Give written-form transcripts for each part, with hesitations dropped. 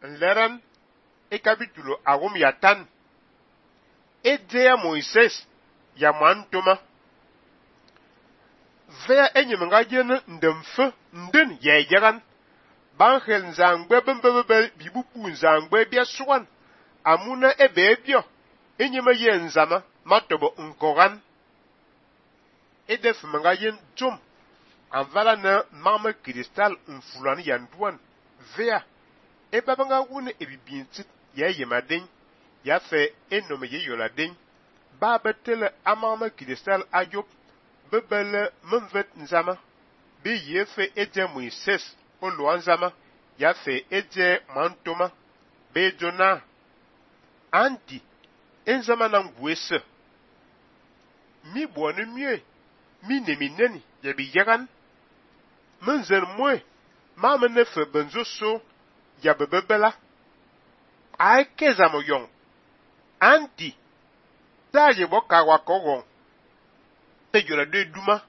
nleran e capítulo agum ya tan e dia Moises ya mantoma vea enyem nga jen ndemfe ndin ya yagan banhel nzangbe bembebel bibupu nzangbe bia suwan amuna ebebio enyema ye nzama matobo nkogan edef nga yen jom anvala na mama kristal nfulan yanduan vea ebabanga wune ebibintit ya yemaden ya fe enome ye yoladen ba betele amama kristal ajop bebele memvet nzama be yefe eje Moises olo nzama ya fe eje mantoma be jona anti enzama na ngwese mi bonu mie mi nemineni ya bi yagan menzer moe ma menefe benzo so ya bebebela ai kezamo yong anti taje boka wakogon te jora de duma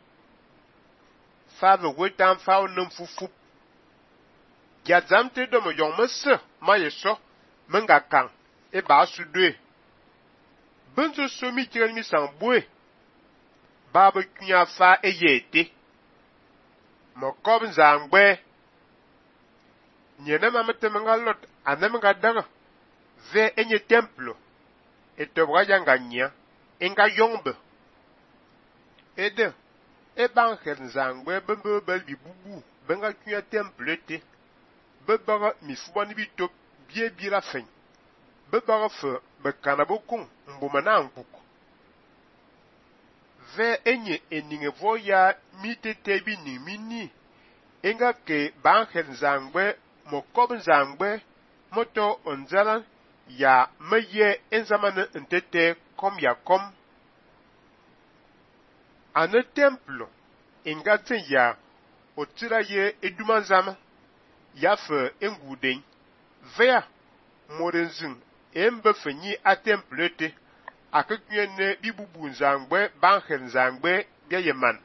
fave wetan faw num fufu ya zamte do mo yong mese ma yeso menga kan e ba su dwe benzo so mi tiran mi sambue baba kunya fa eyete mo kob nzangbe nyene mamete menga lot anem ga daga ve enye templo etobra yanga nya enga yongbe ede e ban her nzangbe bembe bel bibubu benga kunya temple te bebara mi fuani bi top bie bira fen bebara fe bekana bokun mbuma na nkuku ve enye eninge voya mitete bi ni mini enga ke ban her nzangbe mokob nzangbe moto onzala ya meye enzamane ntete kom ya kom ane templo inga ten ya otira ye eduma nzama ya fe enguden vea morenzin embe fenyi a temple te akekuyene bibubu nzangbe banher nzangbe bia yeman